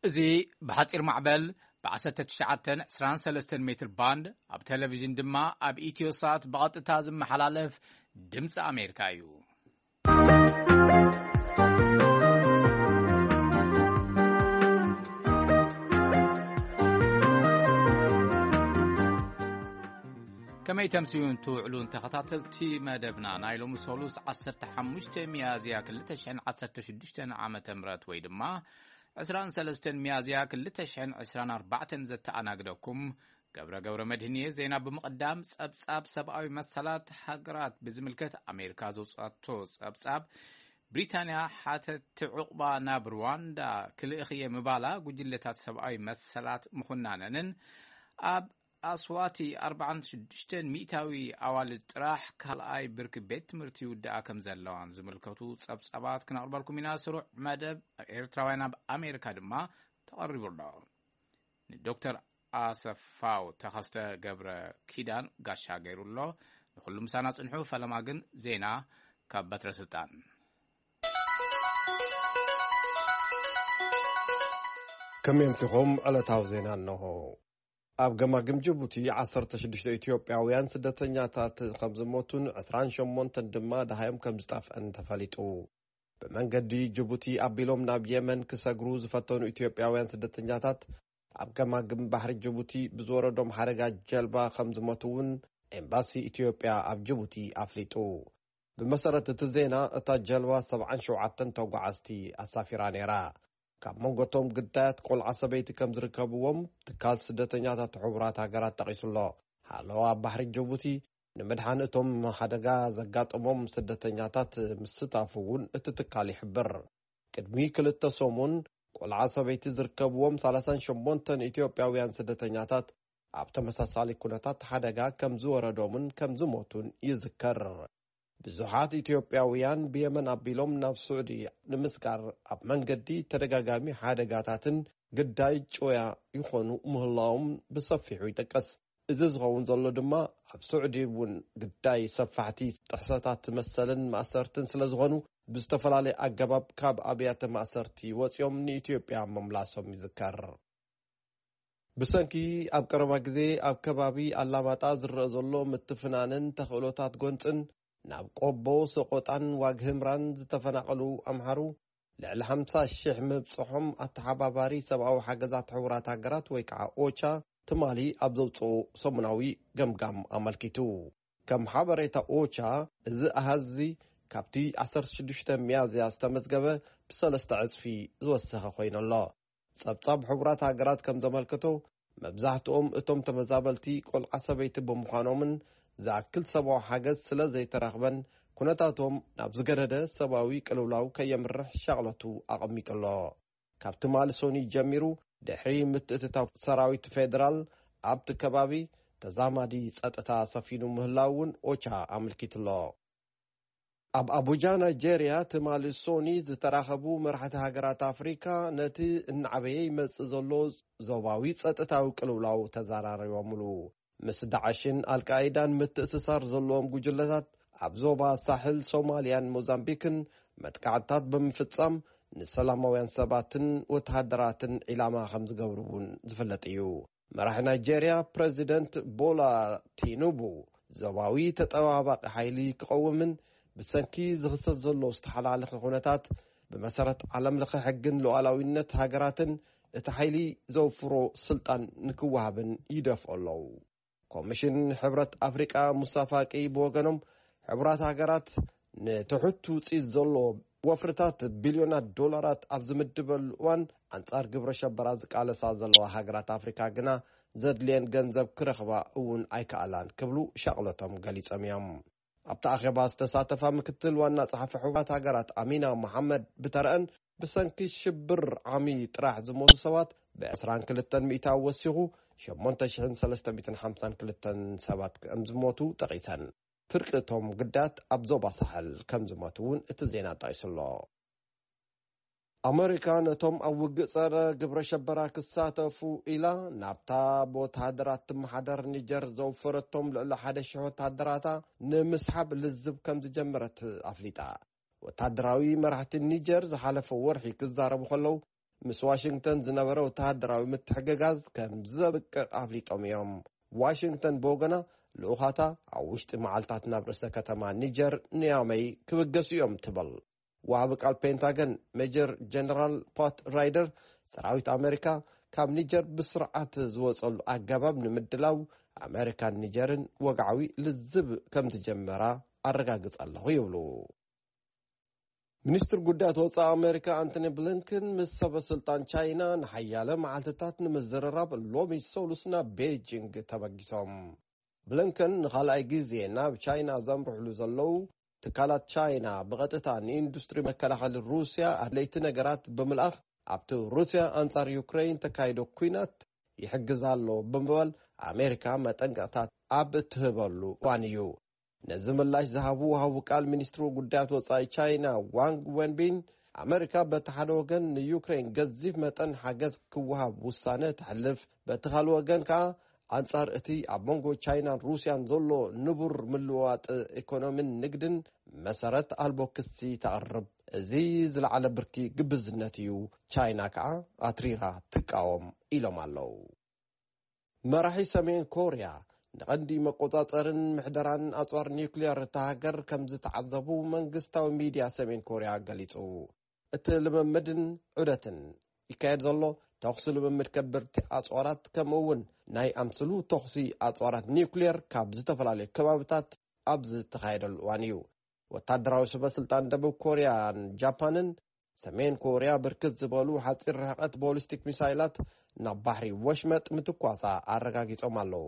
እዚ ብሓጺር ማዕበል ብ19 23 ሜትር ባንድ፣ ኣብ ቴሌቪዥን ድማ ኣብ ኢትዮሳት ብቐጥታ ዝመሓላለፍ ድምፂ ኣሜሪካ እዩ። ከመይ ተምስዩን ትውዕሉን ተኸታተልቲ መደብና፣ ናይ ሎሚ ሰሉስ 15 ሚያዝያ 2016 ዓመተ ምህረት ወይ ድማ 23 ሚያዝያ 2024 ዘተኣናግደኩም ገብረ ገብረ መድህን እየ። ዜና ብምቕዳም፣ ጸብጻብ ሰብኣዊ መሰላት ሃገራት ብዝምልከት ኣሜሪካ ዘውጻቶ ጸብጻብ፣ ብሪታንያ ሓተቲ ዕቑባ ናብ ሩዋንዳ ክልእኽየ ምባላ፣ ጉጅለታት ሰብኣዊ መሰላት ምኹናነንን ኣብ ኣስዋቲ 46% ኣዋልድ ጥራሕ ካልኣይ ብርኪ ቤት ትምህርቲ ይውድኣ ከም ዘለዋን ዝምልከቱ ጸብጻባት ክነቕርበልኩም ኢና። ስሩዕ መደብ ኤርትራውያን ኣብ ኣሜሪካ ድማ ተቐሪቡ ኣሎ። ንዶክተር ኣሰፋው ተኸስተ ገብረ ኪዳን ጋሻ ገይሩ ኣሎ። ንኹሉ ምሳና ጽንሑ። ፈለማ ግን ዜና ካብ በትረ ስልጣን። ከመይ ኣምሲኹም? ዕለታዊ ዜና ኣለኹ። ኣብ ገማግም ጅቡቲ 16 ኢትዮጵያውያን ስደተኛታት ከም ዝሞቱን 28 ድማ ደሃዮም ከም ዝጠፍአን ተፈሊጡ። ብመንገዲ ጅቡቲ ኣቢሎም ናብ የመን ክሰግሩ ዝፈተኑ ኢትዮጵያውያን ስደተኛታት ኣብ ገማግም ባሕሪ ጅቡቲ ብዝወረዶም ሓደጋ ጀልባ ከም ዝሞቱ እውን ኤምባሲ ኢትዮጵያ ኣብ ጅቡቲ ኣፍሊጡ። ብመሰረት እቲ ዜና፣ እታ ጀልባ 77 ተጓዓዝቲ ኣሳፊራ ነይራ። ካብ መንጎቶም ግዳያት ቆልዓ ሰበይቲ ከም ዝርከብዎም ትካል ስደተኛታት ሕቡራት ሃገራት ጠቒሱ ኣሎ። ሓለዋ ባሕሪ ጅቡቲ ንምድሓን እቶም ሓደጋ ዘጋጠሞም ስደተኛታት ምስታፉ እውን እቲ ትካል ይሕብር። ቅድሚ ክልተ ሰሙን ቆልዓ ሰበይቲ ዝርከብዎም 38 ኢትዮጵያውያን ስደተኛታት ኣብ ተመሳሳሊ ኩነታት ሓደጋ ከም ዝወረዶምን ከም ዝሞቱን ይዝከር። ብዙሓት ኢትዮጵያውያን ብየመን ኣቢሎም ናብ ስዑዲ ንምስጋር ኣብ መንገዲ ተደጋጋሚ ሓደጋታትን ግዳይ ጭውያ ይኾኑ ምህላዎም ብሰፊሑ ይጠቀስ። እዚ ዝኸውን ዘሎ ድማ ኣብ ስዑዲ እውን ግዳይ ሰፋሕቲ ጥሕሰታት መሰልን ማእሰርትን ስለ ዝኾኑ፣ ብዝተፈላለየ ኣገባብ ካብ ኣብያተ ማእሰርቲ ወፂኦም ንኢትዮጵያ ምምላሶም ይዝከር። ብሰንኪ ኣብ ቀረባ ግዜ ኣብ ከባቢ ኣላማጣ ዝረአ ዘሎ ምትፍናንን ተኽእሎታት ጎንፅን ናብ ቆቦ፣ ሰቆጣን ዋግህምራን ዝተፈናቐሉ ኣምሓሩ ልዕሊ 50,000 ምብፅሖም ኣተሓባባሪ ሰብኣዊ ሓገዛት ሕቡራት ሃገራት ወይ ከዓ ኦቻ ትማሊ ኣብ ዘውፅኦ ሰሙናዊ ገምጋም ኣመልኪቱ። ከም ሓበሬታ ኦቻ፣ እዚ ኣሃዝ እዚ ካብቲ 16 ሚያዝያ ዝተመዝገበ ብሰለስተ ዕፅፊ ዝወሰኸ ኮይኑ ኣሎ። ጸብጻብ ሕቡራት ሃገራት ከም ዘመልከቶ፣ መብዛሕትኦም እቶም ተመዛበልቲ ቆልዓ ሰበይቲ ብምዃኖምን ዝኣክል ሰብኣዊ ሓገዝ ስለ ዘይተረኽበን፣ ኩነታቶም ናብ ዝገደደ ሰብኣዊ ቅልውላው ከየምርሕ ሻቕለቱ ኣቐሚጡ ኣሎ። ካብ ትማሊ ሶኒ ጀሚሩ፣ ድሕሪ ምትእትታው ሰራዊት ፌደራል፣ ኣብቲ ከባቢ ተዛማዲ ጸጥታ ሰፊኑ ምህላው እውን ኦቻ ኣመልኪቱ ኣሎ። ኣብ ኣቡጃ ናይጄርያ ትማሊ ሶኒ ዝተራኸቡ መራሕቲ ሃገራት ኣፍሪካ፣ ነቲ እናዓበየ ይመጽእ ዘሎ ዞባዊ ጸጥታዊ ቅልውላው ተዘራሪቦምሉ። ምስ ዳዕሽን ኣልቃይዳን ምትእስሳር ዘለዎም ጉጅለታት ኣብ ዞባ ሳሕል፣ ሶማልያን ሞዛምቢክን መጥቃዕትታት ብምፍጻም፣ ንሰላማውያን ሰባትን ወተሃደራትን ዒላማ ከም ዝገብሩ እውን ዝፍለጥ እዩ። መራሒ ናይጄርያ ፕረዚደንት ቦላ ቲኑቡ፣ ዞባዊ ተጠባባቂ ሓይሊ ክቐውምን፣ ብሰንኪ ዝኽሰት ዘሎ ዝተሓላለኸ ኩነታት፣ ብመሰረት ዓለም ለኸ ሕግን ሉዓላዊነት ሃገራትን፣ እቲ ሓይሊ ዘውፍሮ ስልጣን ንክወሃብን ይደፍኦ ኣለዉ። ኮሚሽን ሕብረት ኣፍሪቃ ሙሳ ፋቂ ብወገኖም፣ ሕቡራት ሃገራት ንትሑት ውፅኢት ዘለዎ ወፍርታት ቢልዮናት ዶላራት ኣብ ዝምድበሉ እዋን፣ ኣንጻር ግብረ ሸበራ ዝቃለሳ ዘለዋ ሃገራት ኣፍሪካ ግና ዘድልየን ገንዘብ ክረኽባ እውን ኣይከኣላን ክብሉ ሻቕለቶም ገሊጾም እዮም። ኣብቲ ኣኼባ ዝተሳተፋ ምክትል ዋና ጸሓፊ ሕቡራት ሃገራት ኣሚና መሓመድ ብተረአን፣ ብሰንኪ ሽብር ዓሚ ጥራሕ ዝሞቱ ሰባት ብ22 ሚእታዊ ወሲኹ፣ 8,352 ሰባት ከም ዝሞቱ ጠቒሰን፣ ፍርቂ እቶም ግዳያት ኣብ ዞባ ሳሕል ከም ዝሞቱ እውን እቲ ዜና ጠቒሱ ኣሎ። ኣመሪካ ነቶም ኣብ ውግእ ጸረ ግብረ ሸበራ ክሳተፉ ኢላ ናብታ ብወተሃደራት ትመሓደር ኒጀር ዘውፈረቶም ልዕሊ 1,000 ወተሃደራታ ንምስሓብ ልዝብ ከም ዝጀመረት ኣፍሊጣ። ወተሃደራዊ መራሕቲ ኒጀር ዝሓለፈ ወርሒ ክዛረቡ ከለዉ፣ ምስ ዋሽንግተን ዝነበረ ወተሃደራዊ ምትሕግጋዝ ከም ዘብቅዕ ኣፍሊጦም እዮም። ዋሽንግተን ብወገና፣ ልኡኻታ ኣብ ውሽጢ መዓልታት ናብ ርእሰ ከተማ ኒጀር ንያመይ ክብገሱ እዮም ትብል። ወሃቢ ቃል ፔንታገን ሜጀር ጀነራል ፓት ራይደር፣ ሰራዊት ኣሜሪካ ካብ ኒጀር ብስርዓት ዝወጸሉ ኣገባብ ንምድላው ኣሜሪካን ኒጀርን ወግዓዊ ልዝብ ከም ዝጀመራ ኣረጋግጸ ኣለኹ ይብሉ። ሚኒስትር ጉዳያት ወጻኢ ኣሜሪካ ኣንቶኒ ብሊንከን ምስ ሰበ ስልጣን ቻይና ንሓያለ መዓልትታት ንምዝርራብ ሎሚ ሰሉስ ናብ ቤጂንግ ተበጊሶም። ብሊንከን ንኻልኣይ ግዜ ናብ ቻይና ዘምርሕሉ ዘለዉ፣ ትካላት ቻይና ብቐጥታ ንኢንዱስትሪ መከላኸሊ ሩስያ ኣድለይቲ ነገራት ብምልኣኽ፣ ኣብቲ ሩስያ ኣንጻር ዩክሬን ተካይዶ ኲናት ይሕግዝ ኣሎ ብምባል ኣሜሪካ መጠንቀቕታት ኣብ እትህበሉ እዋን እዩ። ነዚ ምላሽ ዝሃቡ ወሃቢ ቃል ሚኒስትሪ ጉዳያት ወጻኢ ቻይና ዋንግ ወንቢን፣ ኣመሪካ በቲ ሓደ ወገን ንዩክሬን ገዚፍ መጠን ሓገዝ ክወሃብ ውሳነ ተሕልፍ፣ በቲ ካልእ ወገን ከኣ ኣንጻር እቲ ኣብ መንጎ ቻይናን ሩስያን ዘሎ ንቡር ምልውዋጥ ኢኮኖሚን ንግድን መሰረት ኣልቦ ክሲ ተቕርብ። እዚ ዝለዓለ ብርኪ ግብዝነት እዩ፣ ቻይና ከኣ ኣትሪራ ትቃወም ኢሎም ኣለዉ። መራሒ ሰሜን ኮርያ ንቐንዲ መቆጻጸርን ምሕደራን ኣጽዋር ኒውክሊየር እታ ሃገር ከም ዝተዓዘቡ መንግስታዊ ሚድያ ሰሜን ኮርያ ገሊጹ። እቲ ልምምድን ዑደትን ይካየድ ዘሎ፣ ተኹሲ ልምምድ ከበድቲ ኣጽዋራት ከምኡ እውን ናይ ኣምስሉ ተኹሲ ኣጽዋራት ኒውክሊየር ካብ ዝተፈላለዩ ከባብታት ኣብ ዝተኻየደሉ እዋን እዩ። ወታደራዊ ሰበ ስልጣን ደቡብ ኮርያን ጃፓንን ሰሜን ኮርያ ብርክት ዝበሉ ሓፂር ርሕቀት ቦሊስቲክ ሚሳይላት ናብ ባሕሪ ወሽመጥ ምትኳሳ ኣረጋጊጾም ኣለዉ።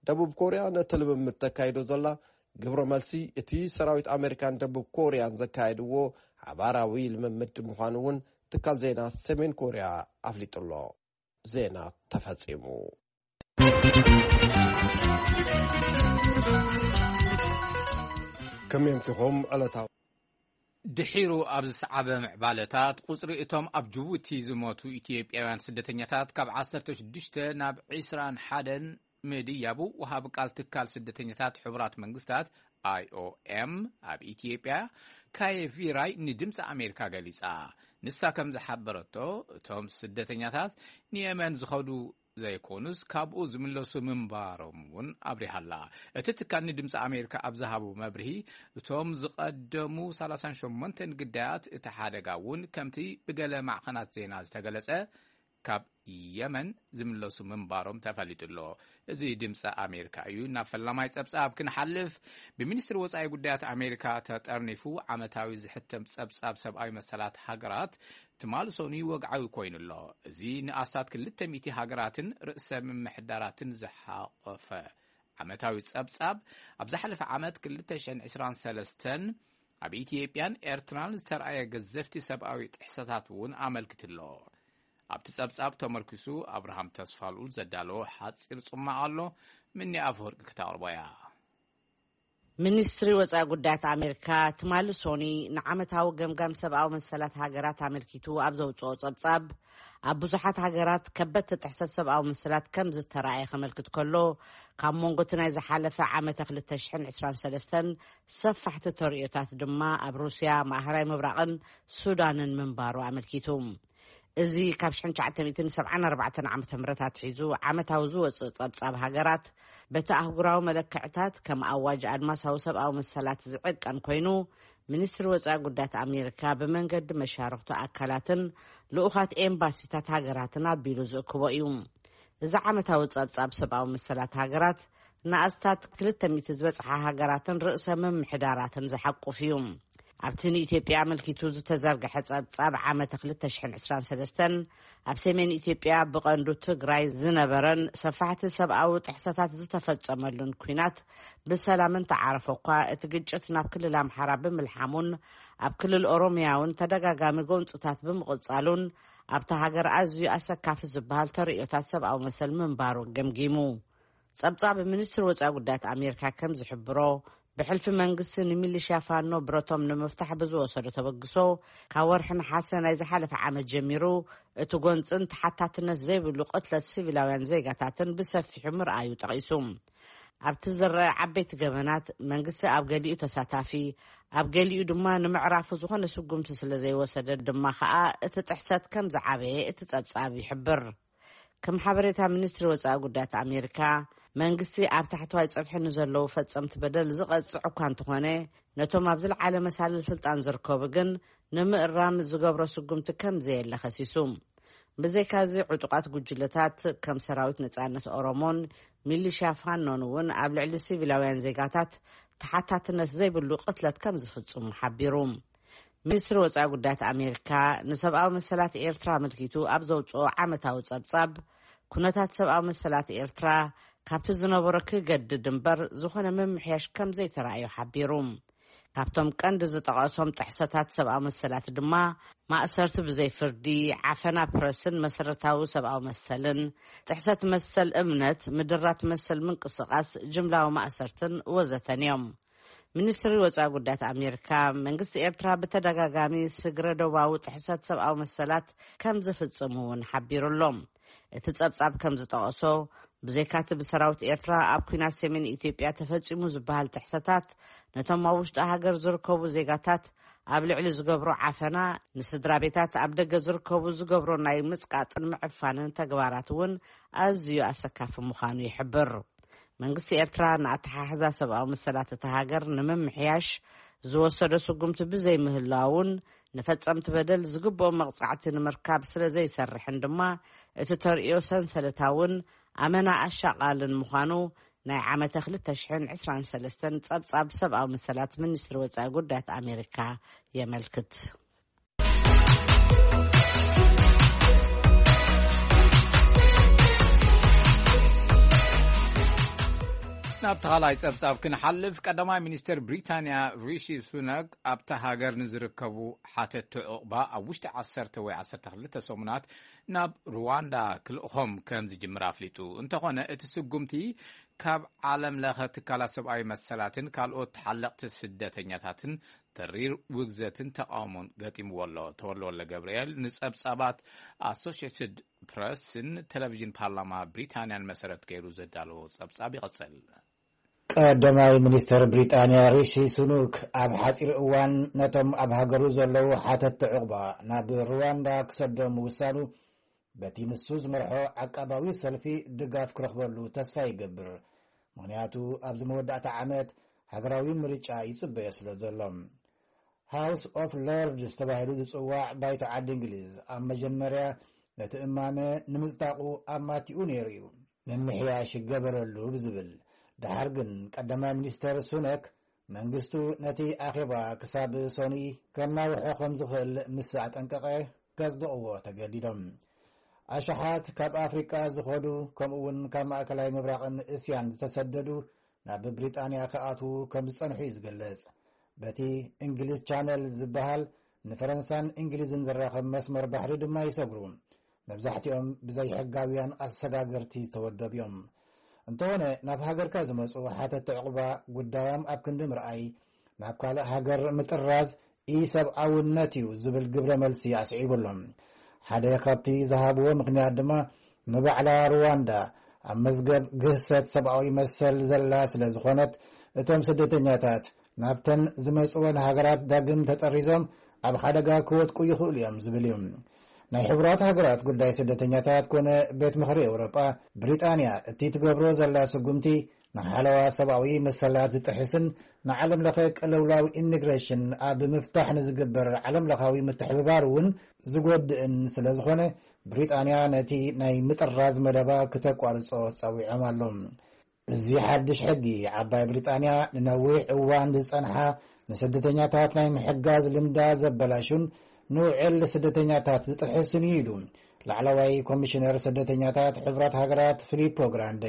ደቡብ ኮርያ ነቲ ልምምድ ተካይዶ ዘላ ግብረ መልሲ እቲ ሰራዊት ኣሜሪካን ደቡብ ኮርያን ዘካየድዎ ሓባራዊ ልምምድ ምዃኑ እውን ትካል ዜና ሰሜን ኮርያ ኣፍሊጡ ኣሎ። ዜና ተፈጺሙ። ከመይ ኣምሲኹም? ዕለታዊ ድሒሩ ኣብ ዝሰዓበ ምዕባለታት፣ ቁጽሪ እቶም ኣብ ጅቡቲ ዝሞቱ ኢትዮጵያውያን ስደተኛታት ካብ ዓሰርተ ሽዱሽተ ናብ ዕስራን ሓደን ምድያቡ፣ ወሃቢ ቃል ትካል ስደተኛታት ሕቡራት መንግስታት፣ ኣይ ኦ ኤም፣ ኣብ ኢትዮጵያ፣ ካየ ቪራይ፣ ንድምፂ ኣሜሪካ ገሊጻ። ንሳ ከም ዝሓበረቶ፣ እቶም ስደተኛታት ንየመን ዝኸዱ ዘይኮኑስ፣ ካብኡ ዝምለሱ ምንባሮም እውን ኣብሪሃ ኣላ። እቲ ትካል ንድምፂ ኣሜሪካ ኣብ ዝሃቦ መብርሂ፣ እቶም ዝቐደሙ ሰላሳን ሸሞንተን ግዳያት እቲ ሓደጋ እውን፣ ከምቲ ብገለ ማዕኸናት ዜና ዝተገለጸ፣ ካብ የመን ዝምለሱ ምንባሮም ተፈሊጡ ኣሎ። እዚ ድምፂ ኣሜሪካ እዩ። ናብ ፈላማይ ጸብጻብ ክንሓልፍ፣ ብሚኒስትሪ ወጻኢ ጉዳያት ኣሜሪካ ተጠርኒፉ ዓመታዊ ዝሕተም ጸብጻብ ሰብኣዊ መሰላት ሃገራት ትማሊ ሰኑይ ወግዓዊ ኮይኑ ኣሎ። እዚ ንኣስታት ክልተ ሚእቲ ሃገራትን ርእሰ ምምሕዳራትን ዝሓቖፈ ዓመታዊ ጸብጻብ፣ ኣብ ዝሓለፈ ዓመት ክልተ ሽሕን ዕስራን ሰለስተን ኣብ ኢትዮጵያን ኤርትራን ዝተርኣየ ገዘፍቲ ሰብኣዊ ጥሕሰታት እውን ኣመልኪቱ ኣሎ። ኣብቲ ጸብጻብ ተመርኪሱ ኣብርሃም ተስፋልኡል ዘዳለዎ ሓጺር ጽማቕ ኣሎ። ምኒ ኣፈወርቂ ክተቕርቦ እያ። ሚኒስትሪ ወጻኢ ጉዳያት ኣሜሪካ ትማሊ ሶኒ ንዓመታዊ ገምጋም ሰብኣዊ መሰላት ሃገራት ኣመልኪቱ ኣብ ዘውጽኦ ጸብጻብ፣ ኣብ ብዙሓት ሃገራት ከበድቲ ጥሕሰት ሰብኣዊ መሰላት ከም ዝተራእየ ከመልክት ከሎ፣ ካብ መንጎ እቲ ናይ ዝሓለፈ ዓመተ ክልተ ሽሕን ዕስራን ሰለስተን ሰፋሕቲ ተርእዮታት ድማ ኣብ ሩስያ፣ ማእኸላይ ምብራቕን ሱዳንን ምንባሩ ኣመልኪቱ። እዚ ካብ ሽሕን ትሽዓተ ሚእትን ሰብዓን ኣርባዕተን ዓመተ ምህረት ኣትሒዙ ዓመታዊ ዝወጽእ ጸብጻብ ሃገራት፣ በቲ ኣህጉራዊ መለክዕታት ከም ኣዋጅ ኣድማሳዊ ሰብኣዊ መሰላት ዝዕቀን ኮይኑ፣ ሚኒስትሪ ወጻኢ ጉዳያት ኣሜሪካ ብመንገዲ መሻርኽቱ ኣካላትን ልኡኻት ኤምባሲታት ሃገራትን ኣቢሉ ዝእክቦ እዩ። እዚ ዓመታዊ ጸብጻብ ሰብኣዊ መሰላት ሃገራት ንኣስታት ክልተ ሚእቲ ዝበጽሓ ሃገራትን ርእሰ ምምሕዳራትን ዝሓቁፍ እዩ። ኣብቲ ንኢትዮጵያ ኣመልኪቱ ዝተዘርግሐ ጸብጻብ ዓመተ ክልተ ሽሕን ዕስራን ሰለስተን፣ ኣብ ሰሜን ኢትዮጵያ ብቐንዱ ትግራይ ዝነበረን ሰፋሕቲ ሰብኣዊ ጥሕሰታት ዝተፈጸመሉን ኲናት ብሰላም እንተዓረፈ እኳ፣ እቲ ግጭት ናብ ክልል ኣምሓራ ብምልሓሙን ኣብ ክልል ኦሮሚያ እውን ተደጋጋሚ ጎንጽታት ብምቕጻሉን፣ ኣብታ ሃገር ኣዝዩ ኣሰካፊ ዝበሃል ተርእዮታት ሰብኣዊ መሰል ምንባሩ ገምጊሙ። ጸብጻብ ሚኒስትሪ ወጻኢ ጉዳያት ኣሜሪካ ከም ዝሕብሮ፣ ብሕልፊ መንግስቲ ንሚሊሽያ ፋኖ ብረቶም ንምፍታሕ ብዝወሰዶ ተበግሶ፣ ካብ ወርሒ ነሓሰ ናይ ዝሓለፈ ዓመት ጀሚሩ፣ እቲ ጎንጽን ተሓታትነት ዘይብሉ ቅትለት ሲቪላውያን ዜጋታትን ብሰፊሑ ምርኣዩ ጠቒሱ። ኣብቲ ዝረአ ዓበይቲ ገበናት መንግስቲ ኣብ ገሊኡ ተሳታፊ፣ ኣብ ገሊኡ ድማ ንምዕራፉ ዝኾነ ስጉምቲ ስለ ዘይወሰደ ድማ ከኣ እቲ ጥሕሰት ከም ዝዓበየ እቲ ጸብጻብ ይሕብር። ከም ሓበሬታ ሚኒስትሪ ወጻኢ ጉዳያት ኣሜሪካ፣ መንግስቲ ኣብ ታሕተዋይ ጸፍሒ ንዘለዉ ፈጸምቲ በደል ዝቐጽዕ እኳ እንተኾነ፣ ነቶም ኣብ ዝለዓለ መሳልል ስልጣን ዝርከቡ ግን ንምእራም ዝገብሮ ስጉምቲ ከም ዘየለ ከሲሱ። ብዘይካዚ ዕጡቓት ጉጅለታት ከም ሰራዊት ነጻነት ኦሮሞን ሚሊሽያ ፋኖን እውን ኣብ ልዕሊ ሲቪላውያን ዜጋታት ተሓታትነት ዘይብሉ ቅትለት ከም ዝፍጽሙ ሓቢሩ። ሚኒስትሪ ወጻኢ ጉዳያት ኣሜሪካ ንሰብኣዊ መሰላት ኤርትራ ኣመልኪቱ ኣብ ዘውጽኦ ዓመታዊ ጸብጻብ፣ ኩነታት ሰብኣዊ መሰላት ኤርትራ ካብቲ ዝነበሮ ክገድድ እምበር ዝኾነ ምምሕያሽ ከም ዘይተራእዮ ሓቢሩ። ካብቶም ቀንዲ ዝጠቐሶም ጥሕሰታት ሰብኣዊ መሰላት ድማ ማእሰርቲ ብዘይ ፍርዲ፣ ዓፈና ፕረስን መሰረታዊ ሰብኣዊ መሰልን፣ ጥሕሰት መሰል እምነት፣ ምድራት መሰል ምንቅስቓስ፣ ጅምላዊ ማእሰርትን ወዘተን እዮም። ሚኒስትሪ ወጻኢ ጉዳያት ኣሜሪካ፣ መንግስቲ ኤርትራ ብተደጋጋሚ ስግረ ዶባዊ ጥሕሰት ሰብኣዊ መሰላት ከም ዝፍጽም እውን ሓቢሩ ኣሎ። እቲ ጸብጻብ ከም ዝጠቐሶ፣ ብዘይካቲ ብሰራዊት ኤርትራ ኣብ ኲናት ሰሜን ኢትዮጵያ ተፈጺሙ ዝበሃል ጥሕሰታት፣ ነቶም ኣብ ውሽጢ ሃገር ዝርከቡ ዜጋታት ኣብ ልዕሊ ዝገብሮ ዓፈና፣ ንስድራ ቤታት ኣብ ደገ ዝርከቡ ዝገብሮ ናይ ምጽቃጥን ምዕፋንን ተግባራት እውን ኣዝዩ ኣሰካፊ ምዃኑ ይሕብር። መንግስቲ ኤርትራ ንኣተሓሕዛ ሰብኣዊ መሰላት እታ ሃገር ንምምሕያሽ ዝወሰዶ ስጉምቲ ብዘይምህላውን፣ ንፈጸምቲ በደል ዝግብኦም መቕጻዕቲ ንምርካብ ስለ ዘይሰርሕን ድማ፣ እቲ ተርእዮ ሰንሰለታውን ኣመና ኣሻቓልን ምዃኑ ናይ ዓመተ ክልተ ሽሕን ዕስራን ሰለስተን ጸብጻብ ሰብኣዊ መሰላት ሚኒስትሪ ወጻኢ ጉዳያት ኣሜሪካ የመልክት። ናብ ተኻላይ ጸብጻብ ክንሓልፍ፣ ቀዳማይ ሚኒስትር ብሪታንያ ሪሺ ሱናክ ኣብታ ሃገር ንዝርከቡ ሓተቲ ዑቕባ ኣብ ውሽጢ ዓሰርተ ወይ ዓሰርተ ክልተ ሰሙናት ናብ ሩዋንዳ ክልእኾም ከም ዝጅምር ኣፍሊጡ። እንተኾነ፣ እቲ ስጉምቲ ካብ ዓለም ለኸ ትካላት ሰብኣዊ መሰላትን ካልኦት ተሓለቕቲ ስደተኛታትን ተሪር ውግዘትን ተቃውሞን ገጢምዎ ኣሎ። ተወልደ ወልደ ገብርኤል ንጸብጻባት ኣሶሽየትድ ፕረስን ቴሌቪዥን ፓርላማ ብሪታንያን መሰረት ገይሩ ዘዳለዎ ጸብጻብ ይቕጽል። ቀዳማይ ሚኒስተር ብሪጣንያ ሪሺ ሱኑክ ኣብ ሓጺር እዋን ነቶም ኣብ ሃገሩ ዘለዉ ሓተትቲ ዕቑባ ናብ ሩዋንዳ ክሰዶም ምውሳኑ፣ በቲ ንሱ ዝመርሖ ዓቃባዊ ሰልፊ ድጋፍ ክረኽበሉ ተስፋ ይገብር። ምኽንያቱ ኣብዚ መወዳእታ ዓመት ሃገራዊ ምርጫ ይጽበዮ ስለ ዘሎ። ሃውስ ኦፍ ሎርድስ ተባሂሉ ዝጽዋዕ ባይቶ ዓዲ እንግሊዝ ኣብ መጀመርያ ነቲ እማመ ንምጽዳቑ ኣማቲኡ ነይሩ እዩ። ምምሕያሽ ይገበረሉ ብዝብል፣ ደሓር ግን ቀዳማይ ሚኒስተር ሱነክ መንግስቱ ነቲ ኣኼባ ክሳብ ሶኒ ከናውሖ ከም ዝኽእል ምስ ኣጠንቀቐ፣ ከጽድቕዎ ተገዲዶም። ኣሽሓት ካብ ኣፍሪቃ ዝኸዱ፣ ከምኡ እውን ካብ ማእከላይ ምብራቕን እስያን ዝተሰደዱ ናብ ብሪጣንያ ክኣትዉ ከም ዝጸንሑ እዩ ዝገልጽ። በቲ እንግሊዝ ቻነል ዝበሃል ንፈረንሳን እንግሊዝን ዘራኸብ መስመር ባሕሪ ድማ ይሰግሩ። መብዛሕትኦም ብዘይሕጋውያን ኣሰጋገርቲ ዝተወደቡ እዮም። እንተኾነ፣ ናብ ሃገርካ ዝመጹ ሓተቲ ዕቑባ፣ ጉዳዮም ኣብ ክንዲ ምርኣይ፣ ናብ ካልእ ሃገር ምጥራዝ ኢሰብኣውነት እዩ ዝብል ግብረ መልሲ ኣስዒቡ ኣሎ። ሓደ ካብቲ ዝሃብዎ ምኽንያት ድማ፣ ንባዕላ ሩዋንዳ ኣብ መዝገብ ግህሰት ሰብኣዊ መሰል ዘላ ስለ ዝኾነት፣ እቶም ስደተኛታት ናብተን ዝመጽወን ሃገራት ዳግም ተጠሪዞም ኣብ ሓደጋ ክወድቁ ይኽእሉ እዮም ዝብል እዩ። ናይ ሕቡራት ሃገራት ጉዳይ ስደተኛታት ኮነ ቤት ምኽሪ ኤውሮጳ፣ ብሪጣንያ እቲ ትገብሮ ዘላ ስጉምቲ ንሓለዋ ሰብኣዊ መሰላት ዝጥሕስን ንዓለም ለኸ ቅልውላው ኢሚግሬሽን ኣብ ምፍታሕ ንዝግበር ዓለም ለኻዊ ምትሕብባር እውን ዝጎድእን ስለ ዝኾነ፣ ብሪጣንያ ነቲ ናይ ምጥራዝ መደባ ክተቋርጾ ጸዊዖም ኣሎ። እዚ ሓድሽ ሕጊ፣ ዓባይ ብሪጣንያ ንነዊሕ እዋን ዝጸንሓ ንስደተኛታት ናይ ምሕጋዝ ልምዳ ዘበላሹን ንውዕል ስደተኛታት ዝጥሕስን እዩ ኢሉ ላዕለዋይ ኮሚሽነር ስደተኛታት ሕቡራት ሃገራት ፊሊፖ ግራንደ።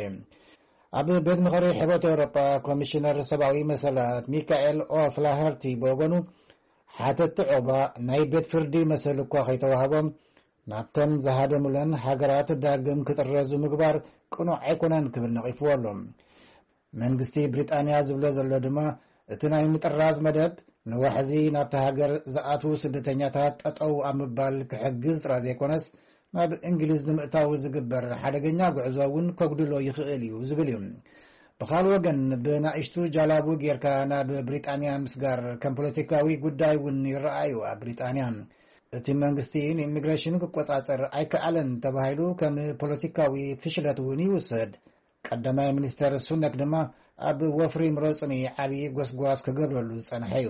ኣብ ቤት ምኽሪ ሕብረት ኤውሮጳ ኮሚሽነር ሰብኣዊ መሰላት ሚካኤል ኦፍላሀርቲ ብወገኑ፣ ሓተቲ ዑቕባ ናይ ቤት ፍርዲ መሰል እኳ ከይተዋህቦም፣ ናብተን ዝሃደሙለን ሃገራት ዳግም ክጥረዙ ምግባር ቅኑዕ ኣይኮነን ክብል ነቒፍዎ ኣሎ። መንግስቲ ብሪጣንያ ዝብሎ ዘሎ ድማ፣ እቲ ናይ ምጥራዝ መደብ ንዋሕዚ ናብቲ ሃገር ዝኣትዉ ስደተኛታት ጠጠው ኣብ ምባል ክሕግዝ ጥራይ ዘይኮነስ፣ ናብ እንግሊዝ ንምእታው ዝግበር ሓደገኛ ጉዕዞ እውን ከጉድሎ ይኽእል እዩ ዝብል እዩ። ብኻል ወገን ብናእሽቱ ጃላቡ ጌርካ ናብ ብሪጣንያ ምስጋር ከም ፖለቲካዊ ጉዳይ እውን ይረኣዩ ኣብ ብሪጣንያ። እቲ መንግስቲ ንኢሚግሬሽን ክቆጻጸር ኣይከኣለን ተባሂሉ ከም ፖለቲካዊ ፍሽለት እውን ይውሰድ። ቀዳማይ ሚኒስተር ሱነክ ድማ ኣብ ወፍሪ ምረጹኒ ዓብዪ ጎስጓስ ክገብረሉ ዝጸንሐ እዩ።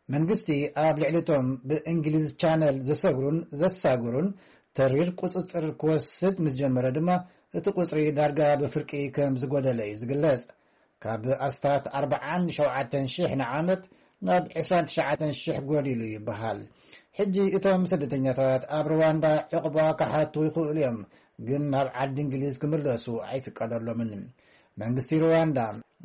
መንግስቲ ኣብ ልዕሊቶም ብእንግሊዝ ቻነል ዘሰግሩን ዘሳግሩን ተሪር ቁጽጽር ክወስድ ምስ ጀመረ ድማ እቲ ቁጽሪ ዳርጋ ብፍርቂ ከም ዝጎደለ እዩ ዝግለጽ። ካብ ኣስታት ኣርባዓን ሸውዓተን ሽሕ ንዓመት ናብ ዕስራን ትሽዓተን ሽሕ ጎዲሉ ይበሃል። ሕጂ እቶም ስደተኛታት ኣብ ሩዋንዳ ዕቕባ ክሓቱ ይኽእሉ እዮም፣ ግን ናብ ዓዲ እንግሊዝ ክምለሱ ኣይፍቀደሎምን። መንግስቲ ሩዋንዳ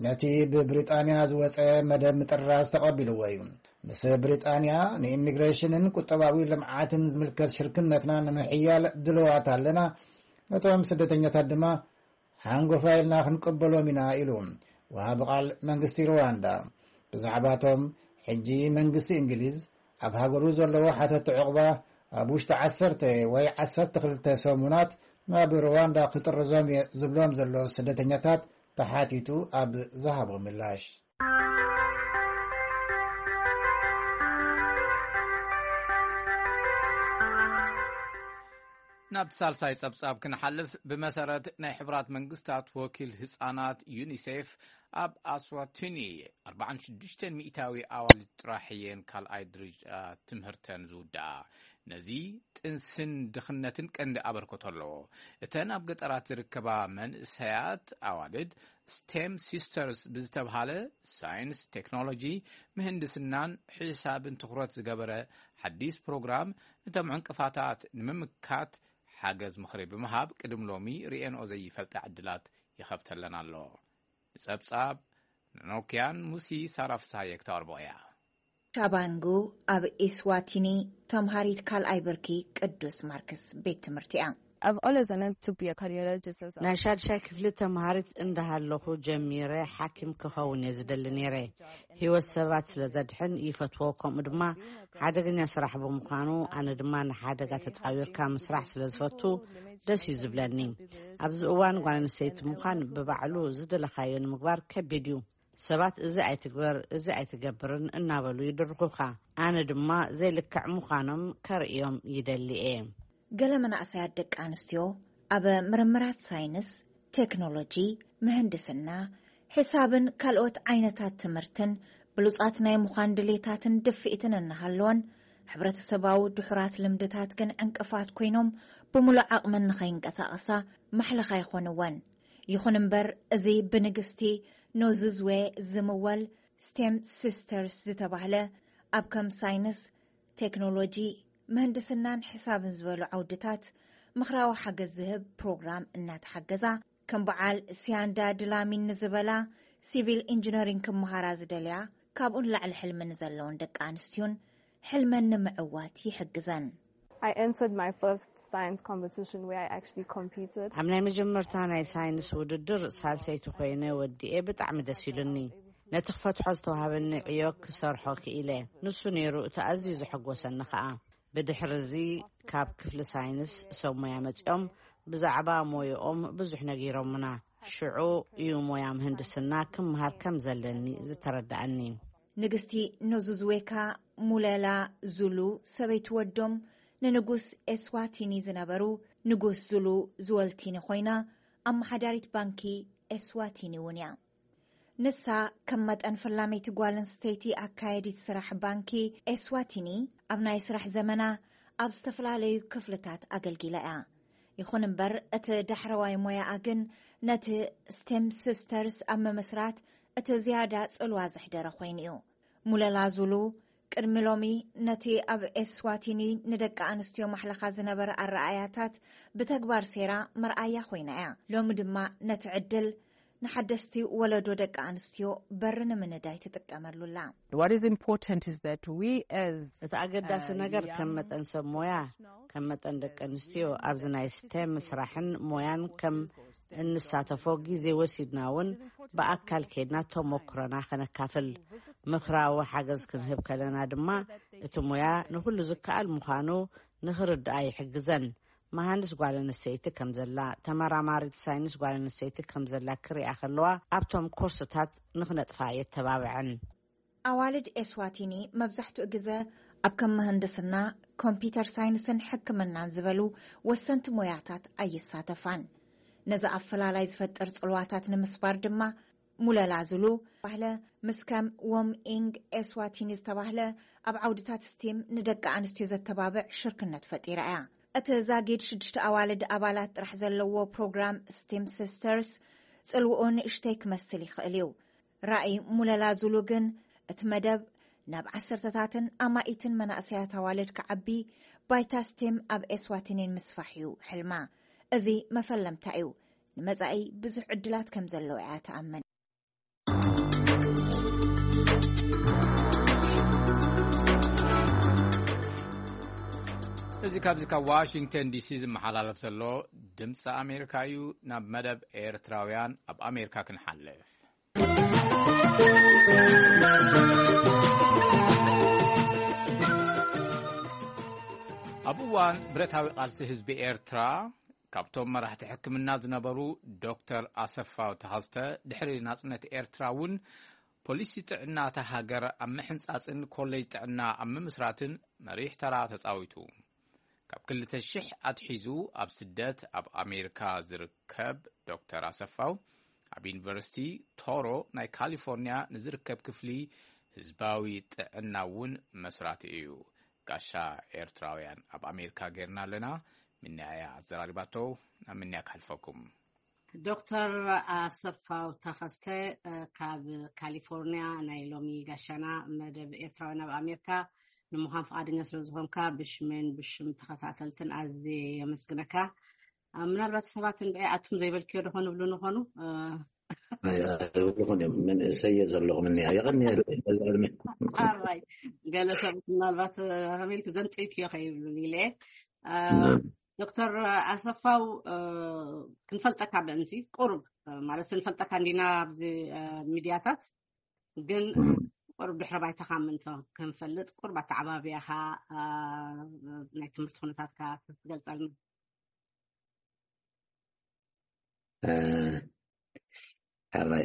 ነቲ ብብሪጣንያ ዝወጸ መደብ ምጥራዝ ተቐቢልዎ እዩ። ምስ ብሪጣንያ ንኢሚግሬሽንን ቁጠባዊ ልምዓትን ዝምልከት ሽርክነትና ንምሕያል ድልዋት ኣለና። ነቶም ስደተኛታት ድማ ሓንጎፋ ኢልና ክንቅበሎም ኢና ኢሉ ወሃቢ ቃል መንግስቲ ሩዋንዳ። ብዛዕባቶም ሕጂ መንግስቲ እንግሊዝ ኣብ ሃገሩ ዘለዎ ሓተቲ ዕቑባ ኣብ ውሽጢ ዓሰርተ ወይ ዓሰርተ ክልተ ሰሙናት ናብ ሩዋንዳ ክጥርዞም እየ ዝብሎም ዘሎ ስደተኛታት ተሓቲቱ ኣብ ዝሃቦ ምላሽ። ናብ ሳልሳይ ጸብጻብ ክንሓልፍ፣ ብመሰረት ናይ ሕቡራት መንግስታት ወኪል ህጻናት ዩኒሴፍ፣ ኣብ ኣስዋቲኒ ኣርባዓን ሽዱሽተን ሚእታዊ ኣዋልድ ጥራሕ እየን ካልኣይ ደረጃ ትምህርተን ዝውድኣ። ነዚ ጥንስን ድኽነትን ቀንዲ ኣበርክቶ ኣለዎ። እተን ኣብ ገጠራት ዝርከባ መንእሰያት ኣዋልድ ስቴም ሲስተርስ ብዝተብሃለ ሳይንስ፣ ቴክኖሎጂ፣ ምህንድስናን ሕሳብን ትኹረት ዝገበረ ሓዲስ ፕሮግራም፣ ነቶም ዕንቅፋታት ንምምካት ሓገዝ ምኽሪ ብምሃብ፣ ቅድም ሎሚ ርእየንኦ ዘይፈልጣ ዕድላት ይኸፍተለን ኣሎ። ንጸብጻብ ንኖክያን ሙሲ ሳራ ፍስሃየ ክተቕርቦ እያ። ቻባንጉ ኣብ ኢስዋቲኒ ተምሃሪት ካልኣይ ብርኪ ቅዱስ ማርክስ ቤት ትምህርቲ እያ። I've always wanted to be a cardiologist. ናይ ሻድሻይ ክፍሊ ተምሃሪት እንዳሃለኹ ጀሚረ ሓኪም ክኸውን እየ ዝደሊ ነይረ። ህይወት ሰባት ስለ ዘድሕን ይፈትዎ፣ ከምኡ ድማ ሓደገኛ ስራሕ ብምዃኑ፣ ኣነ ድማ ንሓደጋ ተጻዊርካ ምስራሕ ስለ ዝፈቱ ደስ እዩ ዝብለኒ። ኣብዚ እዋን ጓል ኣንስተይቲ ምዃን ብባዕሉ ዝደለኻዮ ንምግባር ከቢድ እዩ። ሰባት እዚ ኣይትግበር፣ እዚ ኣይትገብርን እናበሉ ይድርኹኻ። ኣነ ድማ ዘይልክዕ ምዃኖም ከርእዮም ይደሊ እየ። ገለ መናእሰያት ደቂ ኣንስትዮ ኣብ ምርምራት ሳይንስ፣ ቴክኖሎጂ፣ ምህንድስና፣ ሕሳብን ካልኦት ዓይነታት ትምህርትን ብሉጻት ናይ ምዃን ድሌታትን ድፍኢትን እናሃለወን፣ ሕብረተሰባዊ ድሑራት ልምድታት ግን ዕንቅፋት ኮይኖም ብምሉእ ዓቕመን ንኸይንቀሳቐሳ ማሕለኻ ይኾንወን። ይኹን እምበር፣ እዚ ብንግስቲ ኖዝዝዌ ዝምወል ስቴም ሲስተርስ ዝተባህለ ኣብ ከም ሳይንስ፣ ቴክኖሎጂ፣ ምህንድስናን ሕሳብን ዝበሉ ዓውድታት ምኽራዊ ሓገዝ ዝህብ ፕሮግራም እናተሓገዛ፣ ከም በዓል ሲያንዳ ድላሚን ንዝበላ ሲቪል ኢንጂነሪንግ ክመሃራ ዝደልያ፣ ካብኡ ንላዕሊ ሕልሚ ንዘለውን ደቂ ኣንስትዮን ሕልመን ንምዕዋት ይሕግዘን። I entered my first science competition where I actually competed. ኣብ ናይ መጀመርታ ናይ ሳይንስ ውድድር ሳልሰይቲ ኮይነ ወዲኤ ብጣዕሚ ደስ ኢሉኒ። ነቲ ክፈትሖ ዝተዋሃበኒ ዕዮ ክሰርሖ ክኢለ። ንሱ ነይሩ እቲ ኣዝዩ ዘሐጎሰኒ ኸኣ። ብድሕሪ እዚ ካብ ክፍሊ ሳይንስ ሰብ ሞያ መጺኦም ብዛዕባ ሞያኦም ብዙሕ ነጊሮምና። ሽዑ እዩ ሞያ ምህንድስና ክምሃር ከም ዘለኒ ዝተረዳኣኒ። ንግስቲ ኖዙዝዌካ ሙለላ ዙሉ ሰበይቲ ወዶም ንንጉስ ኤስዋቲኒ ዝነበሩ ንጉስ ዙሉ ዝወልቲኒ ኮይና፣ ኣመሓዳሪት ባንኪ ኤስዋቲኒ እውን እያ። ንሳ ከም መጠን ፈላመይቲ ጓል ኣንስተይቲ ኣካየዲት ስራሕ ባንኪ ኤስዋቲኒ ኣብ ናይ ስራሕ ዘመና ኣብ ዝተፈላለዩ ክፍልታት ኣገልጊላ እያ። ይኹን እምበር፣ እቲ ዳሕረዋይ ሞያኣ ግን ነቲ ስቴም ሲስተርስ ኣብ ምምስራት እቲ ዝያዳ ጽልዋ ዘሕደረ ኮይኑ እዩ። ሙለላ ዙሉ ቅድሚ ሎሚ ነቲ ኣብ ኤስዋቲኒ ንደቂ ኣንስትዮ ማሕለኻ ዝነበረ ኣረኣያታት ብተግባር ሴራ መርኣያ ኮይና እያ። ሎሚ ድማ ነቲ ዕድል ንሓደስቲ ወለዶ ደቂ ኣንስትዮ በሪ ንምንዳይ ትጥቀመሉ ኣላ። What is important is that we as እቲ ኣገዳሲ ነገር ከም መጠን ሰብ ሞያ፣ ከም መጠን ደቂ ኣንስትዮ ኣብዚ ናይ ስቴም ስራሕን ሞያን ከም እንሳተፎ ግዜ ወሲድና እውን ብኣካል ከይድና ተሞክሮና ከነካፍል፣ ምኽራዊ ሓገዝ ክንህብ ከለና ድማ እቲ ሞያ ንኹሉ ዝከኣል ምዃኑ ንኽርድኣ ይሕግዘን። መሃንድስ ጓል ኣንስተይቲ ከም ዘላ፣ ተመራማሪት ሳይንስ ጓል ኣንስተይቲ ከም ዘላ ክሪኣ ከለዋ፣ ኣብቶም ኮርስታት ንኽነጥፋ የተባብዐን። ኣዋልድ ኤስዋቲኒ መብዛሕትኡ ግዘ ኣብ ከም ምህንድስና፣ ኮምፒተር ሳይንስን ሕክምናን ዝበሉ ወሰንቲ ሞያታት ኣይሳተፋን። ነዚ ኣፈላላይ ዝፈጥር ጽልዋታት ንምስባር ድማ፣ ሙለላ ዙሉ ባህለ ምስ ከም ዎም ኢንግ ኤስዋቲኒ ዝተባህለ ኣብ ዓውድታት ስቲም ንደቂ ኣንስትዮ ዘተባብዕ ሽርክነት ፈጢራ እያ። እቲ ዛጊድ ሽዱሽተ ኣዋልድ ኣባላት ጥራሕ ዘለዎ ፕሮግራም ስቲም ሲስተርስ ጽልውኡ ንእሽተይ ክመስል ይኽእል እዩ። ራእይ ሙለላ ዙሉ ግን እቲ መደብ ናብ ዓሰርተታትን ኣማኢትን መናእሰያት ኣዋልድ ክዓቢ፣ ባይታ ስቲም ኣብ ኤስዋቲኒን ምስፋሕ እዩ ሕልማ። እዚ መፈለምታ እዩ። ንመጻኢ ብዙሕ ዕድላት ከም ዘለዎ እያ ትኣምን። እዚ ካብዚ ካብ ዋሽንግተን ዲሲ ዝመሓላለፍ ዘሎ ድምፂ ኣሜሪካ እዩ። ናብ መደብ ኤርትራውያን ኣብ ኣሜሪካ ክንሓልፍ። ኣብ እዋን ብረታዊ ቃልሲ ህዝቢ ኤርትራ፣ ካብቶም መራሕቲ ሕክምና ዝነበሩ ዶክተር ኣሰፋው ተኸስተ፣ ድሕሪ ናጽነት ኤርትራ እውን ፖሊሲ ጥዕና እታ ሃገር ኣብ ምሕንጻጽን ኮሌጅ ጥዕና ኣብ ምምስራትን መሪሕ ተራ ተጻዊቱ። ካብ ክልተ ሽሕ ኣትሒዙ ኣብ ስደት ኣብ ኣሜሪካ ዝርከብ ዶክተር ኣሰፋው፣ ኣብ ዩኒቨርሲቲ ቶሮ ናይ ካሊፎርኒያ ንዝርከብ ክፍሊ ህዝባዊ ጥዕና እውን መስራቲ እዩ። ጋሻ ኤርትራውያን ኣብ ኣሜሪካ ጌርና ኣለና። ምንያያ ኣዘራሪባቶ፣ ናብ ምንያ ክሓልፈኩም። ዶክተር ኣሰፋው ተኸስተ፣ ካብ ካሊፎርኒያ ናይ ሎሚ ጋሻና መደብ ኤርትራውያን ኣብ ኣሜሪካ ንምዃን ፍቓደኛ ስለ ዝኾንካ ብሽሜን ብሽም ተኸታተልትን ኣዝየ የመስግነካ። ምናልባት ሰባት እንድዒ ኣቱም ዘይበልክዮ ዶ ኾኑ ብሉ ንኾኑ? ኣይብልኹን እዮም። መንእሰይ እየ ዘለኹ፣ ምንያ የቐንየለይ ነዚ ዕድመ። ኣራይ፣ ገለ ሰባት ምናልባት ከመይ ኢልክ ዘንጠይክዮ ከይብሉ ኢለ። ዶክተር ኣሰፋው፣ ክንፈልጠካ ብእንቲ ቁሩብ ማለት ንፈልጠካ እንዲና ኣብዚ ሚድያታት፣ ግን ቁሩብ ድሕረ ባይታኻ ምእንቶ ክንፈልጥ፣ ቁሩብ ኣተዓባብያኻ፣ ናይ ትምህርቲ ኩነታትካ ክትገልጸልና። ሕራይ፣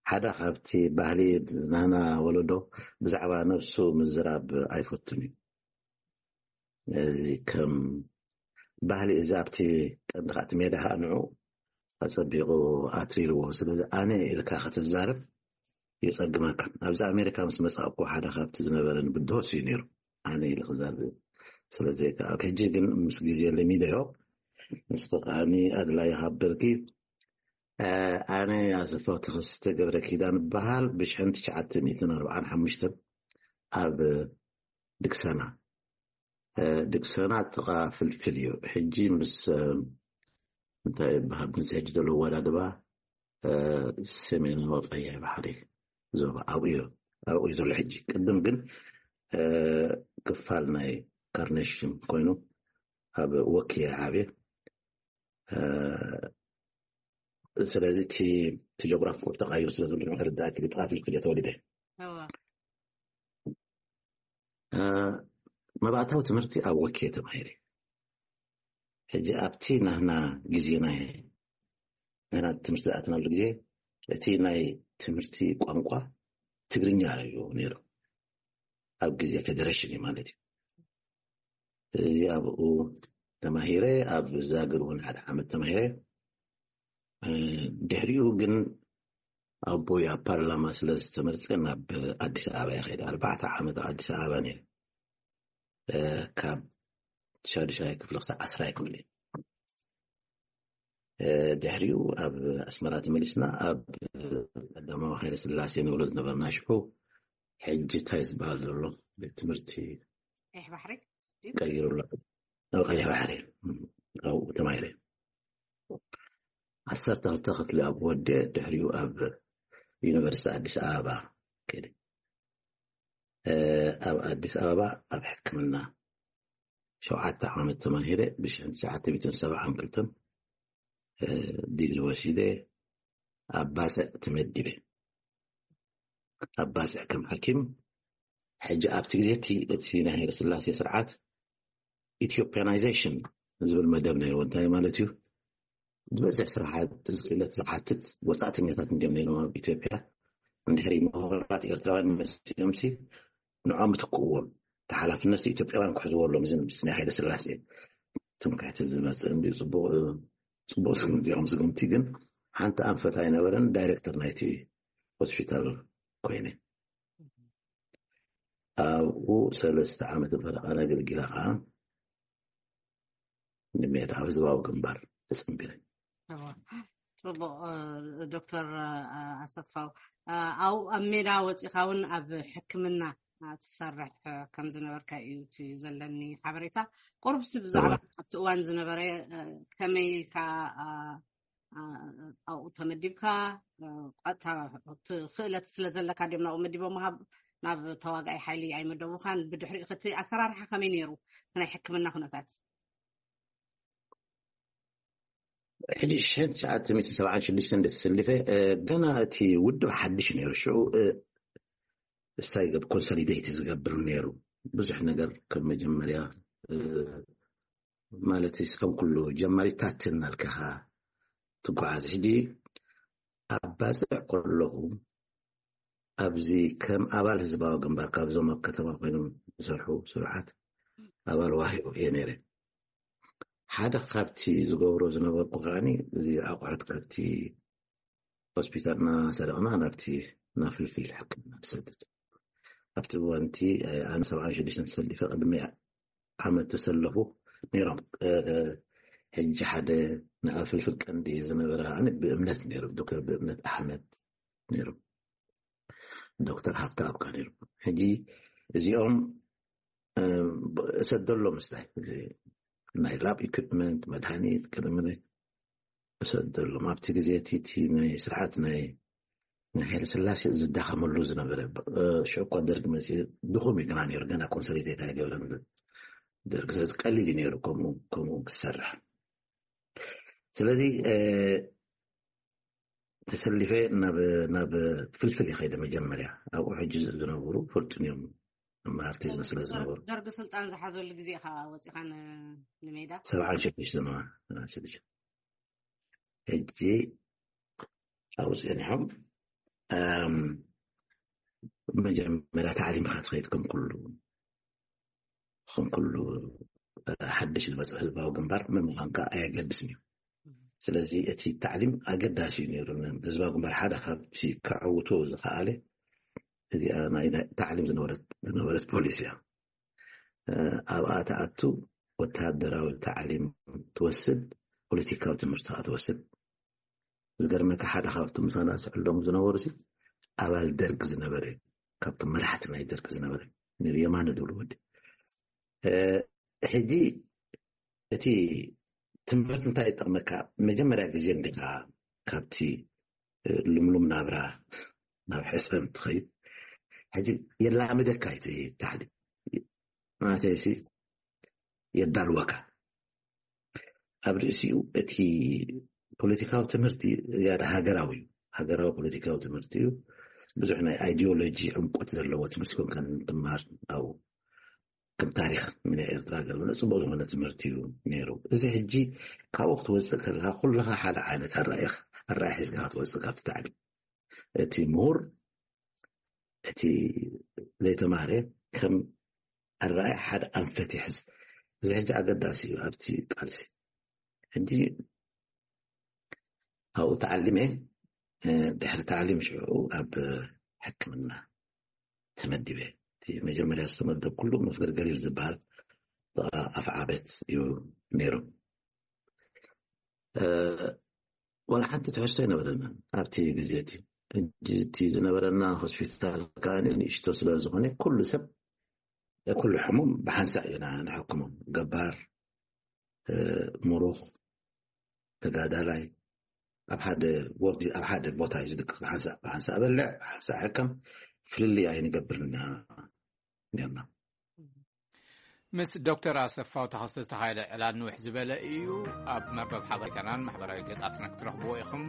ሓደ ካብቲ ባህሊ ናና ወለዶ ብዛዕባ ነብሱ ምዝራብ ኣይፈቱን እዩ። እዚ ከም ባህሊ እዚ ኣብቲ ቀንዲ ከኣ እቲ ሜዳ ከኣ ንዑ ኣጸቢቑ ኣትሪርዎ። ስለዚ ኣነ ኢልካ ክትዛረብ የጸግመካ። ኣብዚ ኣሜሪካ ምስ መጻእኩ ሓደ ካብቲ ዝነበረኒ ብድሆ እዩ ነይሩ፣ ኣነ ኢለ ክዛረብ። ስለዚ ከኣ ሕጂ ግን ምስ ግዜ ለሚደዮ፣ ንስኺ ከኣ ኣድላይ ሃበርኪ። ኣነ ኣሰፋው ተኸስተ ገብረ ኪዳን እበሃል። ብሽሕን ትሽዓተ ሚእትን ኣርብዓን ሓሙሽተን ኣብ ድክሰና፣ ድክሰና ጥቓ ፍልፍል እዩ። ሕጂ ምስ እንታይ ይበሃል፣ ምስ ሕጂ ዘሎ ወዳድባ ሰሜናዊ ቀያይ ባሕሪ ዞባ ኣብኡ እዩ፣ ኣብኡ እዩ ዘሎ ሕጂ። ቅድም ግን ክፋል ናይ ካርኔሽን ኮይኑ ኣብ ወኪ ዓብየ። ስለዚ እቲ ጆግራፊ ተቃይሩ ስለ ዘሎ ንክርዳእ ክልጥቃ ፍልፍል እየ ተወሊደ። መባእታዊ ትምህርቲ ኣብ ወኪ ተማሂረ። ሕጂ ኣብቲ ናህና ግዜ ናይ ናህና ትምህርቲ ዝኣተናሉ ግዜ እቲ ናይ ትምህርቲ ቋንቋ ትግርኛ እዩ ነይሩ። ኣብ ግዜ ፌደሬሽን እዩ ማለት እዩ። እዚ ኣብኡ ተማሂረ፣ ኣብ ዛግር እውን ሓደ ዓመት ተማሂረ። ድሕሪኡ ግን ኣቦይ ኣብ ፓርላማ ስለ ዝተመርፀ ናብ ኣዲስ ኣበባ ይኸይድ። ኣርባዕተ ዓመት ኣብ ኣዲስ ኣበባ ነይረ፣ ካብ ሻዱሻይ ክፍሊ ክሳብ ዓስራይ ክፍሊ። ድሕሪኡ ኣብ ኣስመራ ተመሊስና ኣብ ቀዳማዊ ሃይለ ስላሴ ንብሎ ዝነበርና ሽዑ፣ ሕጂ እንታይ ዝበሃል ዘሎ ቤት ትምህርቲ ቀይሕ ባሕሪ ቀይሩላ። ኣብ ቀይሕ ባሕሪ ኣብኡ ተማሂረ። ዓሰርተ ክልተ ክፍሊ ኣብ ወደ ድሕሪኡ ኣብ ዩኒቨርሲቲ ኣዲስ ኣበባ ከደ። ኣብ ኣዲስ ኣበባ ኣብ ሕክምና ሸውዓተ ዓመት ተማሂረ። ብሽሕን ትሽዓተ ሚእትን ሰብዓን ክልተን ዲግሪ ወሲደ ኣብ ባጽዕ ተመዲበ። ኣብ ባጽዕ ከም ሓኪም። ሕጂ ኣብቲ ግዜ እቲ ናይ ሃይለስላሴ ስርዓት ኢትዮጵያናይዜሽን ዝብል መደብ ነይሩ። እንታይ ማለት እዩ? ዝበዝሕ ስራሓት ክእለት ዝሓትት ወፃእተኛታት እንዲም ነይሮም ኣብ ኢትዮጵያ። እንድሕሪ ምሁራት ኤርትራውያን መፅኦም ሲ ንዖም ትክእዎም ተሓላፍነት ኢትዮጵያውያን ክሕዝዎ ኣለዎም። እዚ ምስ ናይ ሃይለ ስላሴ ትምክሕቲ ዝመፅእ እንዲ ፅቡቅ ፅቡቅ እዚኦም ዝግምቲ ግን ሓንቲ ኣንፈት ኣይነበረን። ዳይሬክተር ናይቲ ሆስፒታል ኮይነ ኣብኡ ሰለስተ ዓመት ፈረቓን ኣገልጊላ ከዓ ንሜዳ ህዝባዊ ግንባር ተፀንቢረ። ጽቡቅ። ዶክተር ኣሰፋው፣ ኣብ ሜዳ ወፂኻ እውን ኣብ ሕክምና ትሰርሕ ከም ዝነበርካ እዩ እቲ ዘለኒ ሓበሬታ። ቁርብሲ ብዛዕባ ኣብቲ እዋን ዝነበረ ከመይ ኢልካ ኣብኡ ተመዲብካ? ቀጥታ ክእለት ስለ ዘለካ ድም ናብኡ መዲቦ ምሃብ ናብ ተዋጋኢ ሓይሊ ኣይመደቡኻን። ብድሕሪኡ እቲ ኣሰራርሓ ከመይ ነይሩ? ናይ ሕክምና ኩነታት ሕጂ ሽሕን ትሽዓተ ሚእትን ሰብዓን ሽዱሽተን እንደ ተሰሊፈ ገና እቲ ውድብ ሓድሽ ነይሩ። ሽዑ እስታይ ገብ ኮንሶሊዴት ዝገብር ነይሩ። ብዙሕ ነገር ከም መጀመርያ ማለት ከም ኩሉ ጀማሪታት እናልካኻ ትጓዓዝ። ሕጂ ኣብ ባፅዕ ከለኹ ኣብዚ ከም ኣባል ህዝባዊ ግንባር ካብዞም ኣብ ከተማ ኮይኖም ዝሰርሑ ስሩዓት ኣባል ዋህዮ እየ ነይረ። ሓደ ካብቲ ዝገብሮ ዝነበርኩ ከዓኒ እዚ ኣቑሑት ካብቲ ሆስፒታል እናሰረቕና ናብቲ ናብ ፍልፍል ሕክምና ንሰድድ። ኣብቲ እዋንቲ ኣነ ሰብዓን ሽዱሽተን ተሰሊፈ ቅድሚ ዓመት ተሰለፉ ነይሮም። ሕጂ ሓደ ንኣብ ፍልፍል ቀንዲ ዝነበረ ከዓኒ ብእምነት ነይሩ፣ ዶክተር ብእምነት ኣሕመድ ነይሩ፣ ዶክተር ሃብተ ኣብካ ነይሩ። ሕጂ እዚኦም እሰደሎም ምስታይ ናይ ላብ ኢኩፕመንት መድሃኒት ቅድሚ እሰደሎም ኣብቲ ግዜ እቲ ናይ ስርዓት ናይ ናይ ሃይለ ስላሴ ዝዳኸመሉ ዝነበረ ሽዑ እኳ ደርግ መፅኡ ድኹም እዩ ግና ነይሩ፣ ገና ኮንሶሊዴት ኣይገብረን ደርግ። ስለዚ ቀሊል እዩ ነይሩ ከምኡ ከምኡ ክሰርሕ። ስለዚ ተሰሊፈ ናብ ናብ ፍልፍል ይኸይደ መጀመርያ። ኣብኡ ሕጂ ዝነብሩ ፍልጡን እዮም፣ መሃርቲዝም ስለ ዝነበሩ። ደርግ ስልጣን ዝሓዘሉ ግዜ ኢኻ ወፂኻ ንሜዳ? ሰብዓን ሽዱሽተ ሕጂ ኣብኡ ፀኒሖም መጀመርያ ታዕሊምካ ትኸይድ ከም ኩሉ ከም ኩሉ ሓድሽ ዝመፅእ ህዝባዊ ግንባር መን ምዃንካ ኣየገድስን እዩ። ስለዚ እቲ ታዕሊም ኣገዳሲ እዩ ነይሩ። ህዝባዊ ግንባር ሓደ ካብቲ ከዕውቶ ዝኸኣለ እዚኣ ናይ ታዕሊም ዝነበረት ዝነበረት ፖሊሲ እያ። ኣብኣ ተኣቱ ወተሃደራዊ ታዕሊም ትወስድ፣ ፖለቲካዊ ትምህርቲ ከዓ ትወስድ። ዝገርመካ ሓደ ካብቲ ምሳና ዝሕሎም ዝነበሩ ሲ ኣባል ደርግ ዝነበረ ካብቶም መራሕቲ ናይ ደርግ ዝነበረ ነቢ የማነ ዝብሉ ወዲ ሕጂ እቲ ትምህርቲ እንታይ ይጠቕመካ? መጀመርያ ግዜ እንዲኻ ካብቲ ልምሉም ናብራ ናብ ሕሰም ትኸይድ። ሕጂ የላምደካ እቲ ታዕሊም ማለተይሲ የዳልወካ። ኣብ ርእሲኡ እቲ ፖለቲካዊ ትምህርቲ ያደ ሃገራዊ እዩ። ሃገራዊ ፖለቲካዊ ትምህርቲ እዩ። ብዙሕ ናይ ኣይዲዮሎጂ ዕምቆት ዘለዎ ትምህርቲ ኮንካ ትምሃር ኣብኡ ከም ታሪክ ናይ ኤርትራ ገለ ጽቡቅ ዝኾነ ትምህርቲ እዩ ነይሩ። እዚ ሕጂ ካብኡ ክትወፅእ ከለካ ኩልኻ ሓደ ዓይነት ኣራእያ ኣራእያ ሒዝካ ክትወፅእ ካብቲ ታዕሊም እቲ ምሁር እቲ ዘይተማህረ ከም ኣራእያ ሓደ ኣንፈት ይሕዝ። እዚ ሕጂ ኣገዳሲ እዩ ኣብቲ ቃልሲ። ሕጂ ኣብኡ ተዓሊመ ድሕሪ ተዓሊም ሽዑ ኣብ ሕክምና ተመዲበ። እቲ መጀመርያ ዝተመደብኩሉ መፍገር ገሊል ዝበሃል ኣፍዓበት እዩ ነይሩ። ዋላ ሓንቲ ትሕዝቶ ኣይነበረና ኣብቲ ግዜ እቲ። ሕጂ እቲ ዝነበረና ሆስፒታል ከዓ ንእሽቶ ስለ ዝኾነ ኩሉ ሰብ ኩሉ ሕሙም ብሓንሳእ ኢና ንሕክሞም። ገባር፣ ምሩኽ፣ ተጋዳላይ ኣብ ሓደ ወርዲ ኣብ ሓደ ቦታ እዩ ዝድቅስ። ብሓንሳእ ብሓንሳእ በልዕ ብሓንሳእ ሕከም ፍልልይ ኣይንገብርና ነርና። ምስ ዶክተር ኣሰፋው ተኸስተ ዝተኻየደ ዕላል ንውሕ ዝበለ እዩ። ኣብ መርበብ ሓበሬታናን ማሕበራዊ ገጻትና ክትረኽብዎ ኢኹም።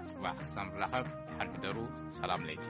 ጽባሕ ክሳብ ንራኸብ ሓድሕደሩ ሰላም ለይቲ።